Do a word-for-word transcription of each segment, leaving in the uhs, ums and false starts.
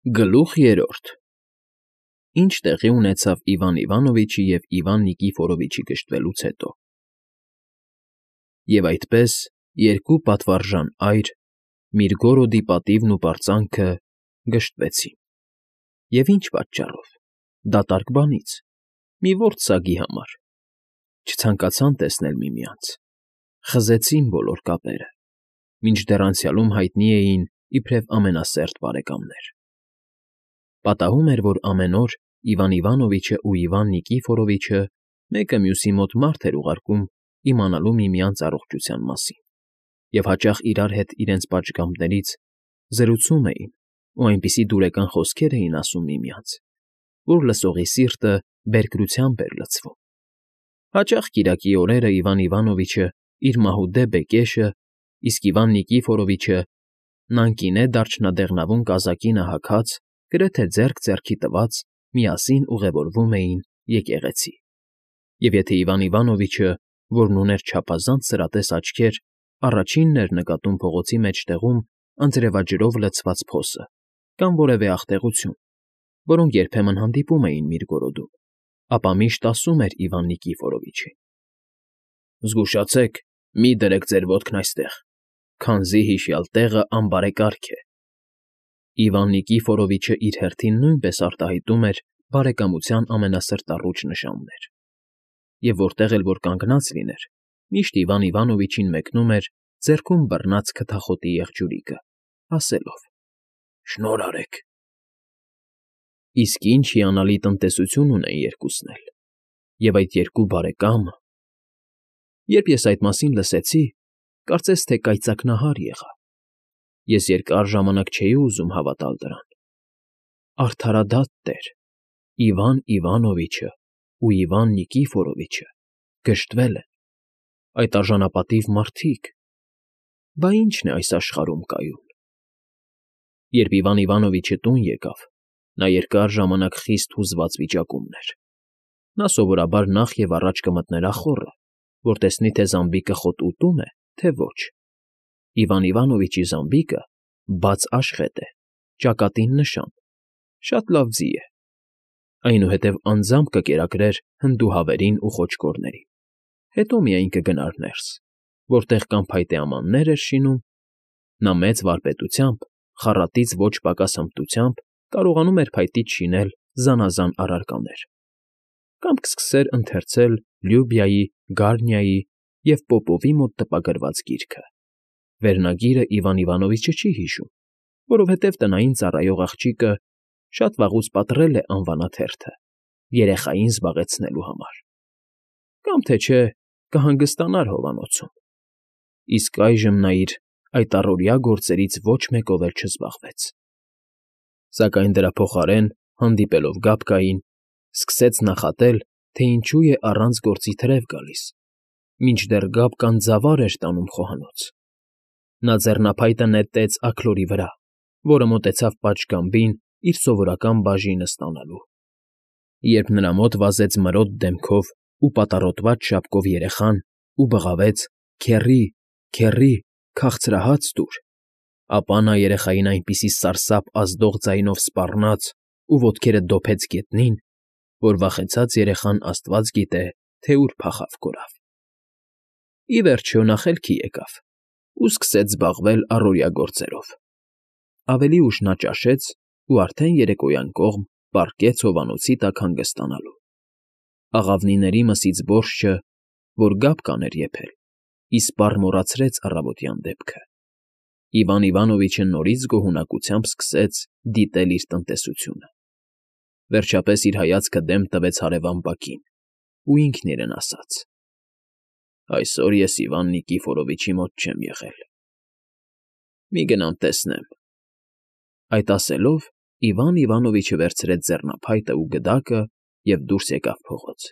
Գլուխ երրորդ Ինչ տեղի ունեցավ Իվան Իվանովիչի և Իվան Նիկիֆորովիչի գժտվելուց հետո Եվ այդպես, երկու պատվարժան այր, Միրգորոդի պատիվն ու պարծանքը, գժտվեցին, և ինչ պատճառով, դատարկ բանից, մի որբ սագի համար, չցանկացան տեսնել միմյանց, խզեցին բոլոր կապերը, մինչդեռ անցյալում հայտնի էին իբրև ամենասերտ բարեկամներ. Պատահում էր, որ ամեն օր Իվան Իվանովիչն ու Իվան Նիկիֆորովիչը մեկը մյուսի մոտ մարդ էր ուղարկում իմանալու միմյանց առողջության մասին, և հաճախ իրար հետ իրենց պատշգամբներից զրուցում էին ու այնպիսի դուրեկան խոսքեր էին ասում միմյանց, որ լսողի սիրտը բերկրությամբ էր լցվում. հաճախ կիրակի օրերը Իվան Իվանովիչը իր մահուդե բեկեշը, իսկ Իվան Նիկիֆորովիչը նանկինե դարչնադեղնավուն կազակինը հագած, գրեթե ձեռք ձեռքի տված, միասին ուղևորվում էին եկեղեցի, և եթե Իվան Իվանովիչը, որն ուներ չափազանց սրատես աչքեր, առաջինն էր նկատում փողոցի մեջտեղում անձրևաջրով լցված փոսը կամ որևէ աղտեղություն, որոնք երբեմն հանդիպում էին Միրգորոդում, ապա միշտ ասում էր Իվան Նիկիֆորովիչին. «Զգուշացեք, մի դրեք ձեր ոտքն այստեղ, քանզի հիշյալ տեղը անբարեկարգ է»։ Իվան Նիկիֆորովիչը իր հերթին նույնպես արտահայտում էր բարեկամության ամենասրտառուչ նշաններ, և որտեղ էլ որ կանգնած լիներ, միշտ Իվան Իվանովիչին մեկնում էր ձեռքում բռնած քթախոտի եղջյուրիկը, ասելով. «Շնորհ արեք»։ Իսկ ինչ հիանալի տնտեսություն ունեն երկուսն էլ, և այդ երկու բարեկամը… Երբ ես այդ մասին լսեցի, կարծես թե կայծակնահար եղա, ես երկար ժամանակ չէի ուզում հավատալ դրան. արդարադատ տեր, Իվան Իվանովիչն ու Իվան Նիկիֆորովիչը գժտվել են, այդ արժանապատիվ մարդիկ… Բա ի՞նչն է այս աշխարհում կայուն։ Երբ Իվան Իվանովիչը տուն եկավ, նա երկար ժամանակ խիստ հուզված վիճակում էր. նա սովորաբար նախ և առաջ կմտներ ախոռը, որ տեսնի, թե զամբիկը խոտ ուտո՞ւմ է, թե ոչ. Իվան Իվանովիչի զամբիկը բաց աշխետ է, ճակատին նշան, շատ լավ ձի է, այնուհետև անձամբ կկերակրեր հնդուհավերին ու խոճկորներին, հետո միայն կգնար ներս, որտեղ կամ փայտե ամաններ էր շինում, նա մեծ վարպետությամբ, խառատից ոչ պակաս հմտությամբ կարողանում էր փայտից շինել զանազան առարկաներ, կամ կսկսեր ընթերցել Լյուբիայի, Գարնիայի և Պոպովի մոտ տպագրված գիրքը. վերնագիրը Իվան Իվանովիչը չի հիշում, որովհետև տնային ծառայող աղջիկը շատ վաղուց պատռել է անվանաթերթը, երեխային զբաղեցնելու համար, կամ թե չէ կհանգստանար հովանոցում, իսկ այժմ նա իր այդ առօրյա գործերից ոչ մեկով էլ չզբաղվեց, սակայն դրա փոխարեն, հանդիպելով Գաբկային, սկսեց նախատել, թե ինչու է առանց գործի թրև գալիս, մինչդեռ Գաբկան ձավար էր տանում խոհանոց. նա ձեռնափայտը նետեց աքլորի վրա, որը մոտեցավ պատշգամբին իր սովորական բաժինը ստանալու, երբ նրա մոտ վազեց մրոտ դեմքով ու պատառոտված շապկով երեխան ու բղավեց. «Քեռի, քեռի, քաղցրահա՞ծ տուր», ապա նա երեխային այնպիսի սարսափ ազդող ձայնով սպառնաց ու ոտքերը դոփեց գետնին, որ վախեցած երեխան աստված գիտե, թե ուր փախավ կորավ։ Ի վերջո նա խելքի եկավ ու սկսեց զբաղվել առօրյա գործերով. ավելի ուշ նա ճաշեց ու արդեն երեկոյան կողմ պառկեց հովանոցի տակ հանգստանալու, աղավնիների մսից բորջը, որ Գաբկան էր եփել, իսպառ մոռացրեց առավոտյան դեպքը, Իվան Իվանովիչը նորից գոհունակությամբ սկսեց դիտել իր տնտեսությունը, վերջապես իր հայացքը դեմ տվեց հարևան բակին ու ինքն իրեն ասաց. «Այսօր ես Իվան Նիկիֆորովիչի մոտ չեմ եղել, մի գնամ տեսնեմ»։ Այդ ասելով Իվան Իվանովիչը վերցրեց ձեռնափայտը ու գդակը և դուրս եկավ փողոց,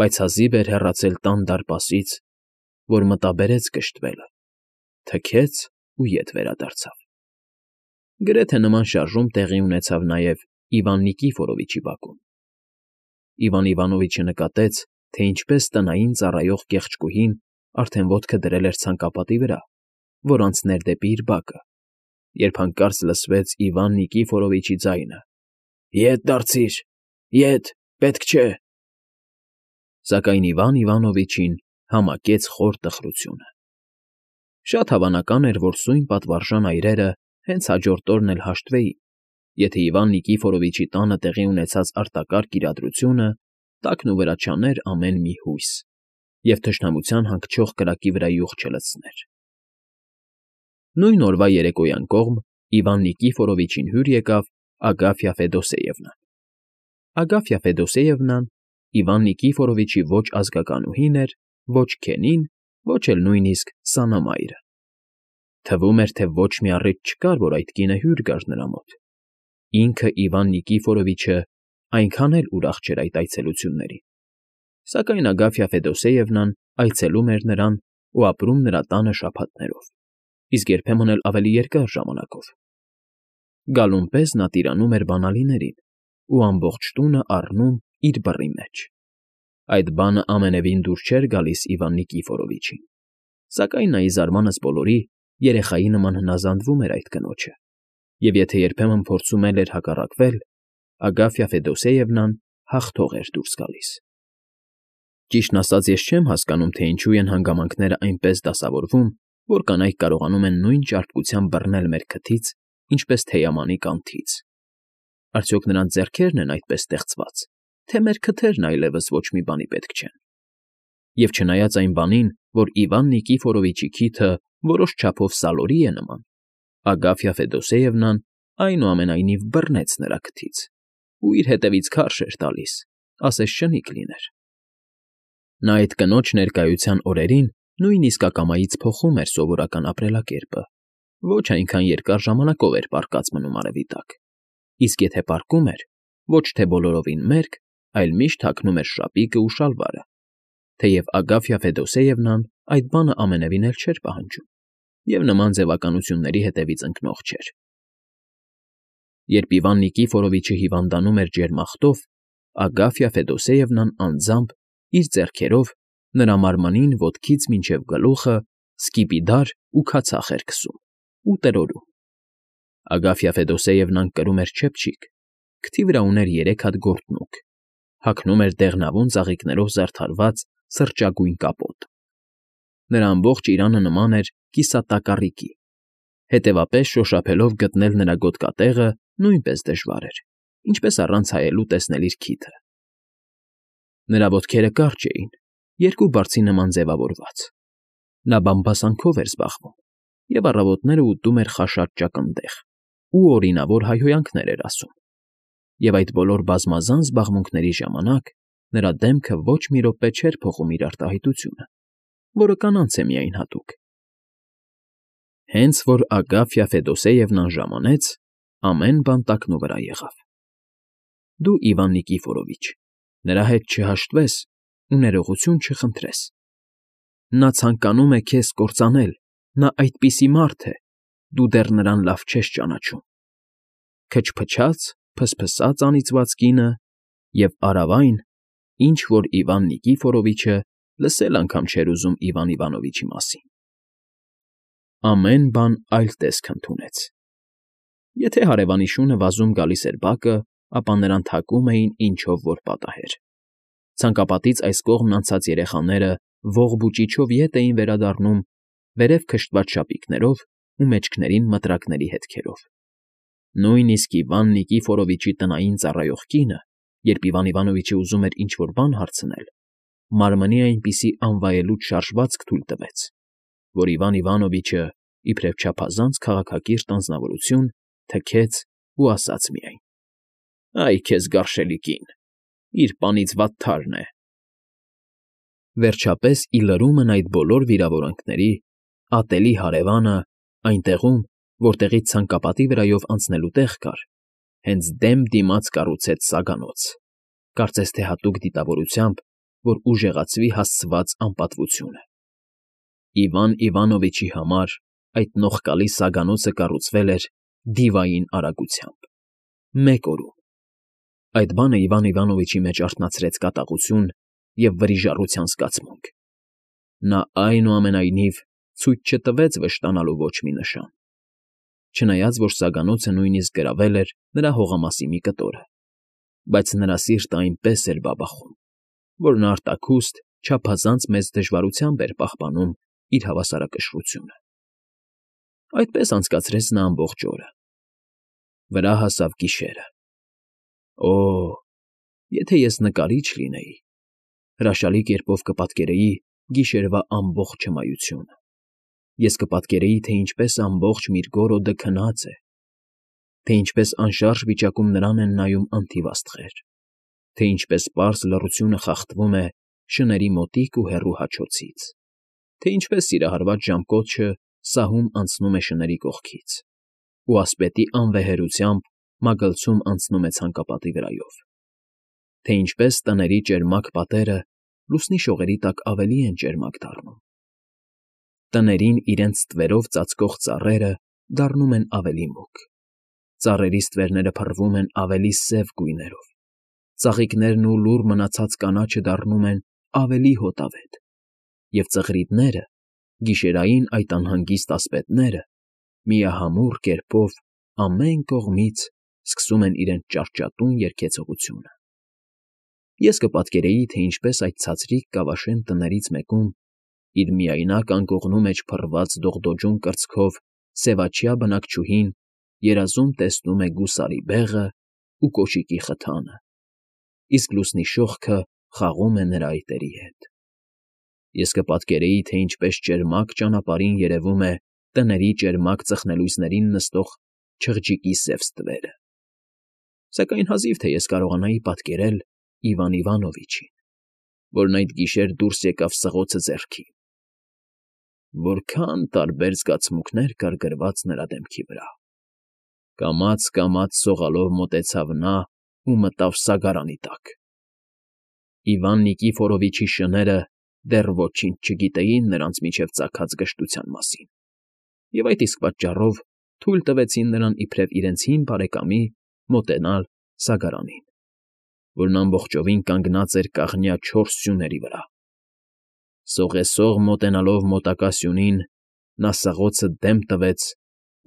բայց հազիվ էր հեռացել տան դարպասից, որ մտաբերեց գժտվելը, թքեց ու ետ վերադարձավ։ Գրեթե նման շարժում տեղի ունեցավ նաև Իվան Նիկիֆորովիչի բակում։ Իվան Իվանովիչը նկատեց, թե ինչպես տնային ծառայող կեղճկուհին արդեն ոտքը դրել էր ցանկապատի վրա, որ անցներ դեպի իր բակը, երբ հանկարծ լսվեց Իվան Նիկիֆորովիչի ձայնը. «Ետ դարձիր, ետ, պետք չէ»։ Սակայն Իվան Իվանովիչին համակեց խոր տխրությունը։ Շատ հավանական էր, որ սույն պատվարժան այրերը հենց հաջորդ օրն էլ հաշտվեին, եթե Իվան Նիկիֆորովիչի տանը տեղի ունեցած արտակարգ իրադրությունը տակն ու վրա չաներ ամեն մի հույս և թշնամության հանգչող կրակի վրա յուղ չլցներ։ Նույն օրվա երեկոյան կողմ Իվան Նիկիֆորովիչին հյուր եկավ Ագաֆյա Ֆեդոսեևնան։ Ագաֆյա Ֆեդոսեևնան Իվան Նիկիֆորովիչի ոչ ազգականուհին էր, ոչ քենին, ոչ էլ նույնիսկ սանամայրը։ Թվում էր, թե ոչ մի առիթ չկար, որ այդ կինը հյուր գար նրա մոտ։ Ինքը Իվան Նիկիֆորովիչը այնքան էլ ուրախ չէր այդ այցելություններին, սակայն Ագաֆյա Ֆեդոսեևնան այցելում էր նրան ու ապրում նրա տանը շաբաթներով, իսկ երբեմն էլ ավելի երկար ժամանակով։ Գալուն պես նա տիրանում էր բանալիներին ու ամբողջ տունը առնում իր բռի մեջ։ Այդ բանը ամենևին դուր չէր գալիս Իվան Նիկիֆորովիչին, սակայն նա ի զարմանս բոլորի երեխայի նման հնազանդվում էր այդ կնոջը, և եթե երբեմն փորձում էլ էր հակառակվել, Ագաֆյա Ֆեդոսեևնան հաղթող էր դուրս գալիս։ Ճիշտն ասած, ես չեմ հասկանում, թե ինչու են հանգամանքները այնպես դասավորվում, որ կանայք կարողանում են նույն ճարպկությամբ բռնել մեր քթից, ինչպես թեյամանի կանթից։ Արդյոք նրանց ձեռքերն են այդպես ստեղծված, թե մեր քթերն այլևս ոչ մի բանի պետք չեն։ Եվ չնայած այն բանին, որ Իվան Նիկիֆորովիչի քիթը որոշ չափով սալորի է նման, Ագաֆյա Ֆեդոսեևնան այնուամենայնիվ բռնեց նրա քթից ու իր հետևից քարշ էր տալիս, ասես շնիկ լիներ։ Նա այդ կնոջ ներկայության օրերին նույնիսկ ակամայից փոխում էր սովորական ապրելակերպը, ոչ այնքան երկար ժամանակով էր պառկած մնում արևի տակ, իսկ եթե պառկում էր, ոչ թե բոլորովին մերկ, այլ միշտ հագնում էր շապիկը ու շալվարը, թեև Ագաֆյա Ֆեդոսեևնան այդ բանը ամենևին էլ չէր պահանջում և նման ձևականությունների հետևից ընկնող չէր։ Երբ Իվան Նիկիֆորովիչը հիվանդանում էր ջերմախտով, Ագաֆյա Ֆեդոսեևնան անձամբ իր ձեռքերով նրա մարմնին ոտքից մինչև գլուխը սկիպիդար ու քացախ էր քսում ու տրորում։ Ագաֆյա Ֆեդոսեևնան կրում էր չեփչիկ, քթի վրա ուներ երեք հատ գորտնուկ, հագնում էր դեղնավուն ծաղիկներով զարդարված սրճագույն կապոտ։ Նրա ամբողջ իրանը նման էր կիսատակառիկի, հետևապես շոշափելով գտնել նրա գոտկատեղը նույնպես դժվար էր, ինչպես առանց հայելու տեսնել իր քիթը։ Նրա ոտքերը կարճ էին, երկու բարձի նման ձևավորված։ Նա բամբասանքով էր զբաղվում և առավոտները ուտում էր խաշած ճակնդեղ ու օրինավոր հայհոյանքներ էր ասում, և այդ բոլոր բազմազան զբաղմունքների ժամանակ նրա դեմքը ոչ մի րոպե չէր փոխում իր արտահայտությունը, որը կանանց է միայն հատուկ։ Հենց որ Ագաֆյա Ֆեդոսեևնան ժամանեց, ամեն բան տակնուվրա եղավ։ Դու, Իվան Նիկիֆորովիչ, նրա հետ չհաշտվես ու ներողություն չխնդրես։ Նա ցանկանում է քեզ կործանել, նա այդպիսի մարդ է, դու դեռ նրան լավ չես ճանաչում։ Քչփչաց, փսփսաց անիծված կինը և արավ այն, ինչ որ Իվան Նիկիֆորովիչը լսել անգամ չէր ուզում Իվան Իվանովիչի մասին։ Ամեն բան այլ տեսք ընդունեց։ Եթե հարևանի շունը վազում գալիս էր բակը, ապա նրան թակում էին ինչով որ պատահեր։ Ցանկապատից այս կողմն անցած երեխաները ողբուճիչով ետ էին վերադառնում, վերև քշտված շապիկներով ու մեջքներին մտրակների հետքերով։ Նույնիսկ Իվան Նիկիֆորովիչի տնային ծառայող կինը, երբ Իվան Իվանովիչը ուզում էր ինչ-որ բան հարցնել, մարմնի այնպիսի անվայելուչ շարժվածք թույլ տվեց, որ Իվան Իվանովիչը, իբրև չափազանց քաղաքակիրթ անձնավորություն, թքեց ու ասաց միայն. «Այ քեզ գարշելի կին, իր պանից վատթարն է»։ Վերջապես, ի լրումն այդ բոլոր վիրավորանքների, ատելի հարևանը, այնտեղում, որտեղից ցանկապատի վրայով անցնելու տեղ կար, հենց դեմ դիմաց կառուցեց սագանոց, կարծես թե հատուկ դիտավորությամբ, որ ուժեղացվի հասցված անպատվությունը։ Իվան Իվանովիչի համար այդ նողկալի սագանոցը կառուցվել էր դիվային արագությամբ, մեկ օրում։ Այդ բանը Իվան Իվանովիչի մեջ արթնացրեց կատաղություն և վրիժառության զգացմունք։ Նա, այնուամենայնիվ, ցույց չտվեց վշտանալու ոչ մի նշան։ չնայած որ սագանոցը նույնիսկ գրավել էր նրա հողամասի մի կտորը, բայց նրա սիրտը այնպես էր բաբախում, որ նա արտաքուստ, չափազանց մեծ դժվարությամբ էր պահպանում իր հավասարակշռությունը։ Այդպես անցկացրեց նա ամբողջ օրը։ Վրա հասավ գիշերը։ Օ՜, եթե ես նկարիչ լինեի, հրաշալի կերպով կպատկերեի գիշերվա ամբողջ հմայությունը։ Ես կպատկերեի, թե ինչպես ամբողջ Միրգորոդը քնած է, թե ինչպես անշարժ վիճակում նրան են նայում անթիվ աստղեր, թե ինչպես պարզ լռությունը խախտվում է շների մոտիկ ու հեռու հաչոցից, թե ինչպես սիրահարված ժամկոչը սահում անցնում է շների կողքից, ու ասպետի անվեհերությամբ մագլցում անցնում է ցանկապատի վրայով, թե ինչպես տների ճերմակ պատերը լուսնի շողերի տակ ավելի են ճերմակ դառնում, տներին իրենց ստվերով ծածկող ծառերը դառնում են ավելի մուգ, ծառերի ստվերները փռվում են ավելի սև գույներով, ծաղիկներն ու լուռ մնացած կանաչը դառնում են ավելի հոտավետ, և ծղրիդները, գիշերային այդ անհանգիստ ասպետները, միահամուռ կերպով ամեն կողմից սկսում են իրենց ճարճատուն երգեցողությունը։ Ես կպատկերեի, թե ինչպես այդ ցածրիկ կավաշեն տներից մեկում, իր միայնակ անկողնու մեջ փռված դողդոջուն կրծքով սևաչյա բնակչուհին երազում տեսնում է գուսարի բեղը ու կոշիկի խթանը, իսկ լուսնի շողքը խաղում է նրա այտերի հետ։ Ես կպատկերեի, թե ինչպես ճերմակ ճանապարհին երևում է տների ճերմակ ծխնելույսներին նստող չղջիկի սև ստվերը։ Սակայն հազիվ թե ես կարողանայի պատկերել Իվան Իվանովիչին, որն այդ գիշեր դուրս եկավ սղոցը ձեռքին։ Որքա՜ն տարբեր զգացմունքներ կար գրված նրա դեմքի վրա։ Կամաց֊կամաց սողալով մոտեցավ նա ու մտավ սագարանի տակ։ Իվան Նիկիֆորովիչի շները դեռ ոչինչ չգիտեին նրանց միջև ծագած գժտության մասին, և այդ իսկ պատճառով թույլ տվեցին նրան իբրև իրենց հին բարեկամի մոտենալ սագարանին, որն ամբողջովին կանգնած էր կաղնյա չորս սյուների վրա։ Սողեսող մոտենալով մոտակա սյունին, նա սղոցը դեմ տվեց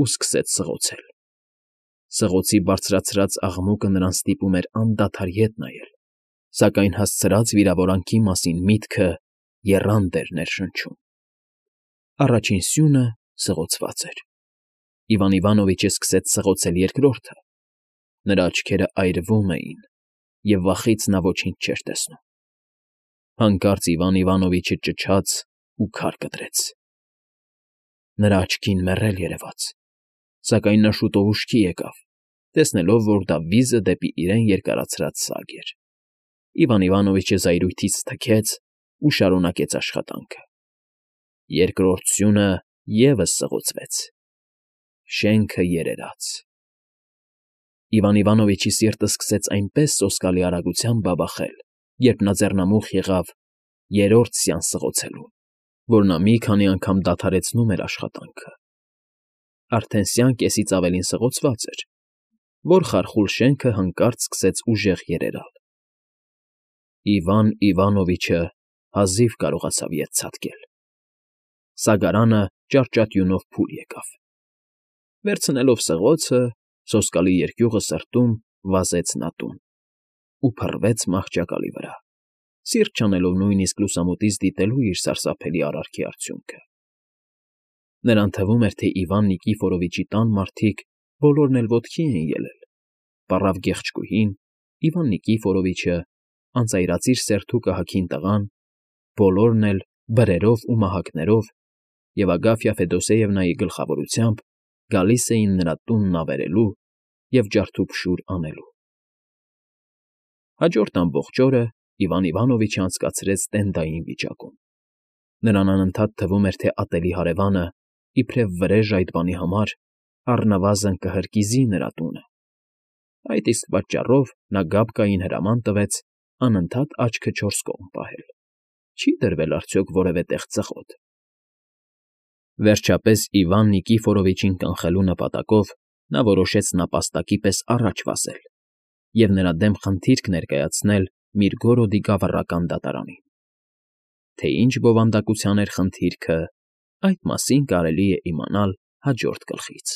ու սկսեց սղոցել։ Սղոցի բարձրացրած աղմուկը նրան ստիպում էր անդադար ետ նայել, սակայն հասցրած վիրավորանքի մասին միտքը եռանդ էր ներշնչում։ Առաջին սյունը սղոցված էր։ Իվան Իվանովիչը սկսեց սղոցել երկրորդը։ Նրա աչքերը այրվում էին, և վախից նա ոչինչ չէր տեսնում։ Հանկարծ Իվան Իվանովիչը ճչաց ու քար կտրեց։ Նրա աչքին մեռել երևաց, սակայն նա շուտով ուշքի եկավ, տեսնելով, որ դա վիզը դեպի իրեն երկարացրած սագ էր։ Իվան Իվանովիչը զայրույթից թքեց ու շարունակեց աշխատանքը։ Երկրորդ սյունը ևս սղոցվեց։ Շենքը երերաց։ Իվան Իվանովիչի սիրտը սկսեց այնպես սոսկալի արագությամբ բաբախել, երբ նա ձեռնամուխ եղավ երրորդ սյան սղոցելուն, որ նա մի քանի անգամ դադարեցնում էր աշխատանքը։ Արդեն սյան կեսից ավելին սղոցված էր, որ խարխուլ շենքը հանկարծ սկսեց ուժեղ երերալ։ Իվան Իվանովիչը հազիվ կարողացավ ետ ցատկել։ Սագարանը ճարճատյունով փուլ եկավ։ Վերցնելով սղոցը, սոսկալի երկյուղը սրտում վազեց նա տուն ու փռվեց մահճակալի վրա, սիրտ չանելով նույնիսկ լուսամուտից դիտելու իր սարսափելի արարքի արդյունքը։ Նրան թվում էր, թե Իվան Նիկիֆորովիչի տան մարդիկ բոլորն էլ ոտքի էին ելել, պառավ գեղեցկուհին, Իվան Նիկիֆորովիչը, անծայրածիր սերթու կահաքին տղան, բոլորն էլ բրերով ու մահակներով և Ագաֆյա Ֆեդոսեևնայի գլխավորությամբ գալիս էին նրա տունն ավերելու և ջարդուփշուր անելու։ Հաջորդ ամբողջ օրը Իվան Իվանովիչը անցկացրեց տենդային վիճակում։ Նրան անընդհատ թվում էր, թե ատելի հարևանը, իբրև վրեժ այդ բանի համար, առնվազն կհրկիզի նրա տունը։ Այդ իսկ պատճառով նա Գաբկային հրաման տվեց անընդհատ աչքը չորս կողմ պահել։ Չի՞ դրվել արդյոք որևէ տեղ ծխոտ։ Վերջապես Իվան Նիկիֆորովիչին կանխելու նպատակով նա որոշեց նապաստակի պես առաջ վազել և նրա դեմ խնդիրք ներկայացնել Միրգորոդի գավառական դատարանին։ Թե ինչ բովանդակության էր խնդիրքը, այդ մասին կարելի է իմանալ հաջորդ գլխից։